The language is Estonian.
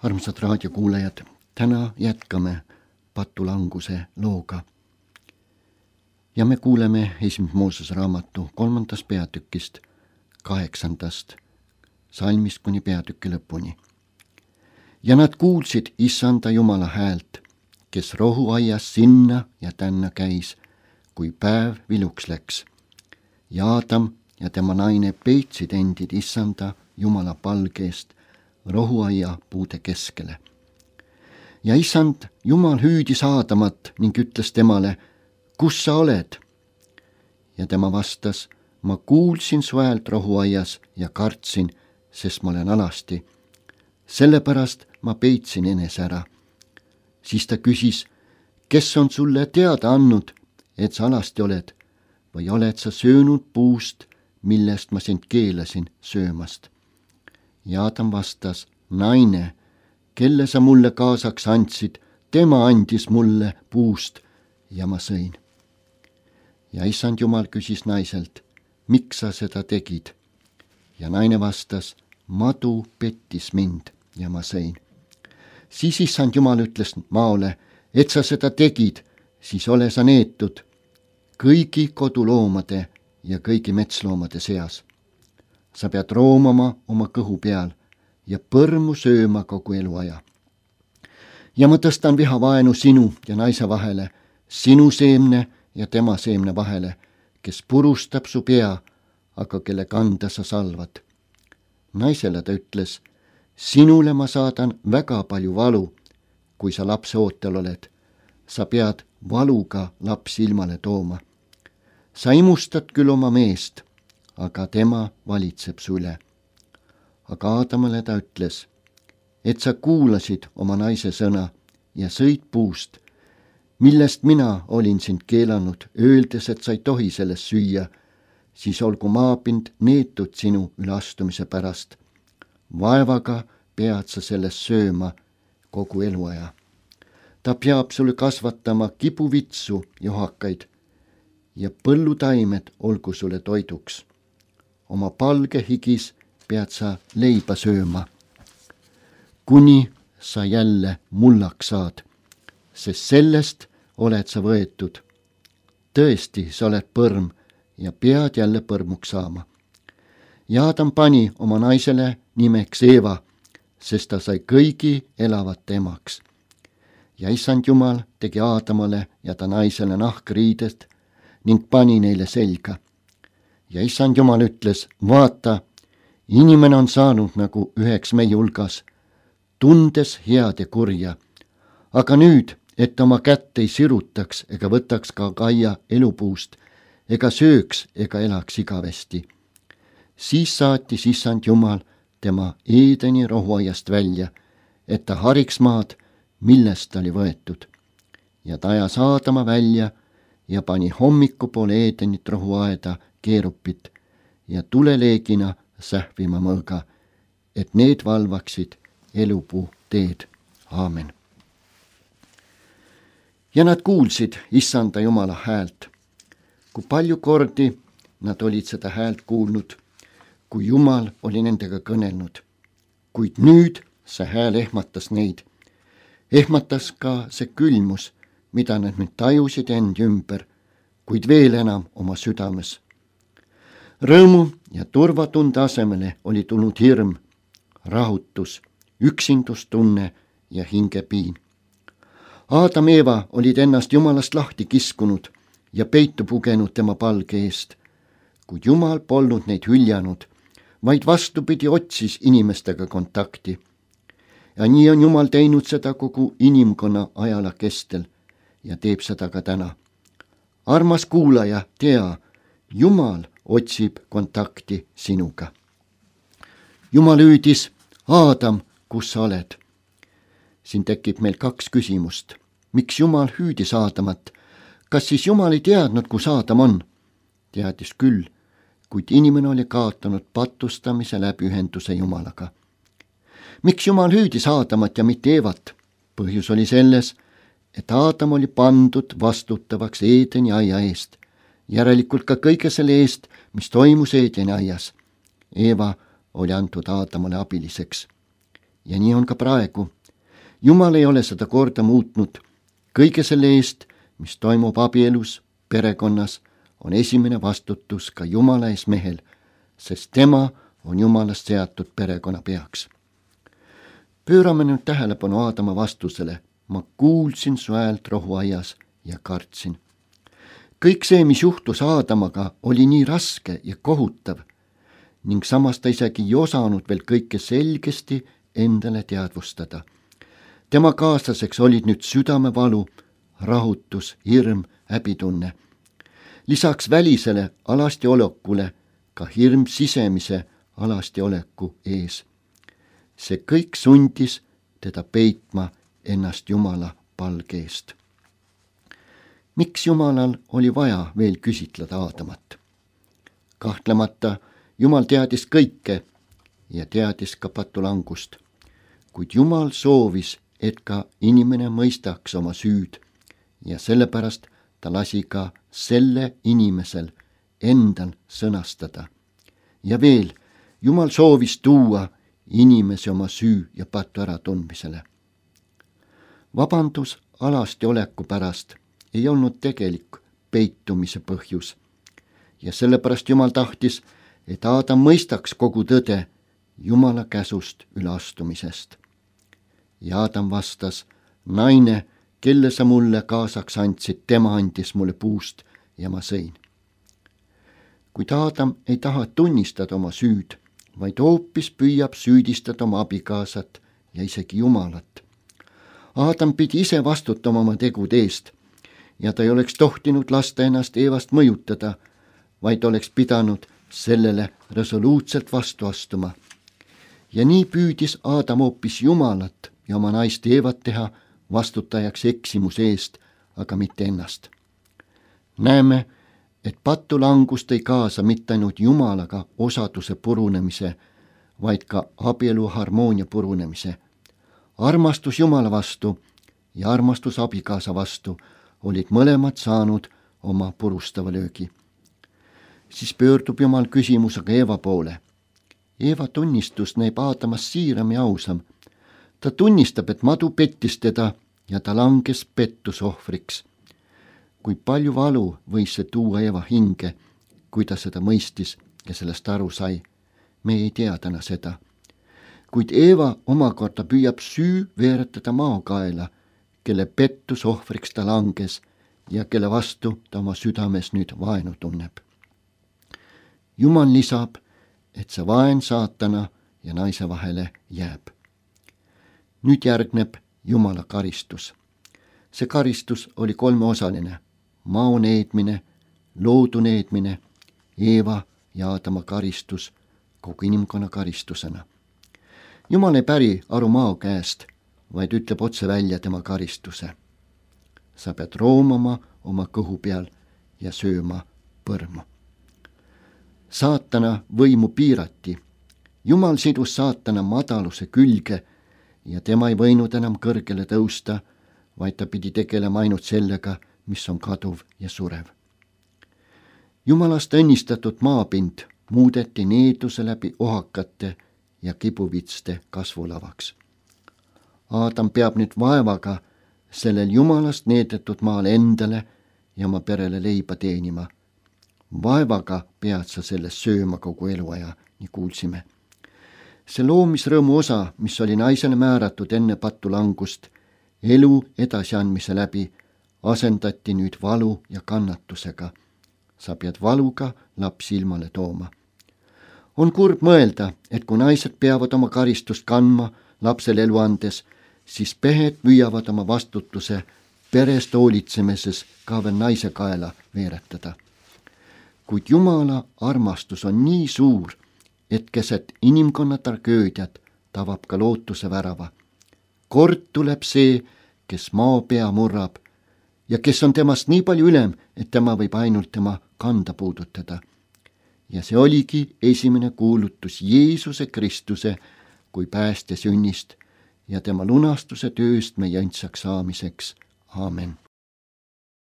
Armsad raadiokuulajad, täna jätkame patulanguse looga. Ja me kuuleme esimese Moosese raamatu 3. peatükist 8. salmist kuni peatüki lõpuni. Ja nad kuulsid Issanda Jumala häält, kes rohuaias sinna ja tänna käis, kui päev viluks läks. Ja Aadam ja tema naine peitsid endid Issanda Jumala palgeest rohuaia puude keskele. Ja Issand Jumal hüüdis Aadamat ning ütles temale, kus sa oled? Ja tema vastas, ma kuulsin su häält rohuaias ja kartsin, sest ma olen alasti. Sellepärast ma peitsin enese ära. Siis ta küsis, kes on sulle teada andnud, et sa alasti oled, või oled sa söönud puust, millest ma sind keelasin söömast? Ja Aadam vastas, naine, kelle sa mulle kaasaks andsid, tema andis mulle puust ja ma sõin. Ja Issand Jumal küsis naiselt, miks sa seda tegid? Ja naine vastas, madu pettis mind ja ma sõin. Siis Issand Jumal ütles maole, et sa seda tegid, siis ole sa neetud kõigi koduloomade ja kõigi metsloomade seas. Sa pead roomama oma kõhu peal ja põrmu sööma kogu eluaja. Ja ma tõstan vihavaenu sinu ja naise vahele, sinu seemne ja tema seemne vahele, kes purustab su pea, aga kelle kanda sa salvad. Naisele ta ütles, sinule ma saadan väga palju valu, kui sa lapse ootel oled. Sa pead valuga lapsi ilmale tooma. Sa imustad küll oma meest, aga tema valitseb su üle. Aga Aadamale ta ütles, et sa kuulasid oma naise sõna ja sõid puust, millest mina olin sind keelanud, öeldes, et sa ei tohi sellest süüa, siis olgu maapind neetud sinu üleastumise pärast. Vaevaga pead sa sellest sööma kogu eluaja. Ta peab sulle kasvatama kibuvitsu johakaid ja põllutaimed olgu sulle toiduks. Oma palge higis pead sa leiba sööma, kuni sa jälle mullaks saad, sest sellest oled sa võetud. Tõesti, sa oled põrm ja pead jälle põrmuks saama. Ja Aadam pani oma naisele nimeks Eeva, sest ta sai kõigi elavate emaks. Ja Issand Jumal tegi Aadamale ja ta naisele nahkriidest ning pani neile selga. Ja Issand Jumal ütles, vaata, inimene on saanud nagu üheks meie hulgas, tundes head ja kurja. Aga nüüd, et oma kätt ei sirutaks ega võtaks ka kaia elupuust, ega sööks ega elaks igavesti. Siis saatis Issand Jumal tema Eedeni rohuaiast välja, et ta hariks maad, millest ta oli võetud. Ja ta ajas Aadama välja ja pani hommikupoole Eedenit rohuaeda keerupit ja tuleleegina sähvima mõõga, et need valvaksid elupuu teed. Aamen. Ja nad kuulsid Issanda Jumala häält. Kui palju kordi nad olid seda häält kuulnud, kui Jumal oli nendega kõnelnud. Kuid nüüd see hääl ehmatas neid. Ehmatas ka see külmus, mida nad nüüd tajusid endi ümber, kuid veel enam oma südames. Rõõmu ja turvatunde asemele oli tulnud hirm, rahutus, üksindustunne ja hingepiin. Aadam ja Eeva olid ennast Jumalast lahti kiskunud ja peitu pugenud tema palge eest, kuid Jumal polnud neid hüljanud, vaid vastupidi otsis inimestega kontakti. Ja nii on Jumal teinud seda kogu inimkonna ajala kestel ja teeb seda ka täna. Armas kuulaja, tea, Jumal otsib kontakti sinuga. Jumal hüüdis, Aadam, kus sa oled? Siin tekib meil 2 küsimust. Miks Jumal hüüdis Aadamat? Kas siis Jumal ei teadnud, kus Aadam on? Teadis küll, kuid inimene oli kaotanud patustamise läbi ühenduse Jumalaga. Miks Jumal hüüdis Aadamat ja mitte Eevat? Põhjus oli selles, et Aadam oli pandud vastutavaks Eedeni aia eest, järelikult ka kõige selle eest, mis toimus Eedeni aias. Eeva oli antud Aadamale abiliseks. ja nii on ka praegu. Jumal ei ole seda korda muutnud. Kõige selle eest, mis toimub abielus, perekonnas, on esimene vastutus ka Jumala ees mehel, sest tema on Jumalast seatud perekonna peaks. Pöörame nüüd tähelepanu Aadama vastusele. Ma kuulsin su häält rohuaias ja kartsin. Kõik see, mis juhtus Aadamaga, oli nii raske ja kohutav ning samas ta isegi ei osanud veel kõike selgesti endale teadvustada. Tema kaaslaseks olid nüüd südamevalu, rahutus, hirm, häbitunne. Lisaks välisele alastiolekule ka hirm sisemise alastioleku ees. See kõik sundis teda peitma ennast Jumala palge eest. Miks Jumalal oli vaja veel küsitleda Aadamat? Kahtlemata Jumal teadis kõike ja teadis ka patulangust, kuid Jumal soovis, et ka inimene mõistaks oma süüd ja sellepärast ta lasi ka selle inimesel endal sõnastada. Ja veel, Jumal soovis tuua inimese oma süü ja patu äratundmisele. Vabandus alastioleku pärast ei olnud tegelik peitumise põhjus ja sellepärast Jumal tahtis, et Aadam mõistaks kogu tõde Jumala käsust üleastumisest. Ja Aadam vastas, naine, kelle sa mulle kaasaks andsid, tema andis mulle puust ja ma sõin. Kuid Aadam ei taha tunnistada oma süüd, vaid hoopis püüab süüdistada oma abikaasat ja isegi Jumalat. Aadam pidi ise vastutama oma tegude eest ja ta ei oleks tohtinud lasta ennast Eevast mõjutada, vaid oleks pidanud sellele resoluutselt vastu astuma. Ja nii püüdis Aadam hoopis Jumalat ja oma naist Eevat teha vastutajaks eksimuse eest, aga mitte ennast. Näeme, et patulangust ei kaasa mitte ainult Jumalaga osaduse purunemise, vaid ka abielu harmoonia purunemise. Armastus Jumala vastu ja armastus abikaasa vastu olid mõlemad saanud oma purustava löögi. Siis pöördub Jumal küsimusega Eeva poole. Eeva tunnistus näib Aadamas siiram ja ausam. Ta tunnistab, et madu pettis teda ja ta langes pettusohvriks. Kui palju valu võis see tuua Eeva hinge, kui ta seda mõistis ja sellest aru sai. Me ei tea täna seda. Kuid Eeva omakorda püüab süü veeretada maokaela, kelle pettusohvriks ta langes ja kelle vastu ta oma südames nüüd vaenu tunneb. Jumal lisab, et see vaen saatana ja naise vahele jääb. Nüüd järgneb Jumala karistus. See karistus oli kolmeosaline. Mao needmine, loodu needmine, Eeva ja Aadama karistus kogu inimkonna karistusena. Jumal ei päri aru Mao käest, vaid ütleb otse välja tema karistuse. Sa pead roomama oma kõhu peal ja sööma põrmu. Saatana võimu piirati. Jumal sidus saatana madaluse külge ja tema ei võinud enam kõrgele tõusta, vaid ta pidi tegelema ainult sellega, mis on kaduv ja surev. Jumalast õnnistatud maapind muudeti needuse läbi ohakate ja kibuvitste kasvulavaks. Aadam peab nüüd vaevaga sellel Jumalast needetud maal endale ja oma perele leiba teenima. Vaevaga pead sa sellest sööma kogu eluaja, nii kuulsime. See loomisrõõmu osa, mis oli naisele määratud enne patulangust, elu edasiandmise läbi, asendati nüüd valu ja kannatusega. Sa pead valuga lapsi ilmale tooma. On kurb mõelda, et kui naised peavad oma karistust kandma lapsele elu andes, siis pehed püüavad oma vastutuse perest hoolitsemises ka veel naise kaela veeretada. Kuid Jumala armastus on nii suur, et keset inimkonna tragöödiat tabab ka lootuse värava. Kord tuleb see, kes maa pea murrab ja kes on temast nii palju ülem, et tema võib ainult tema kanda puudutada. Ja see oligi esimene kuulutus Jeesuse Kristuse kui päästja sünnist ja tema lunastuse tööst meie õndsaks saamiseks. Aamen.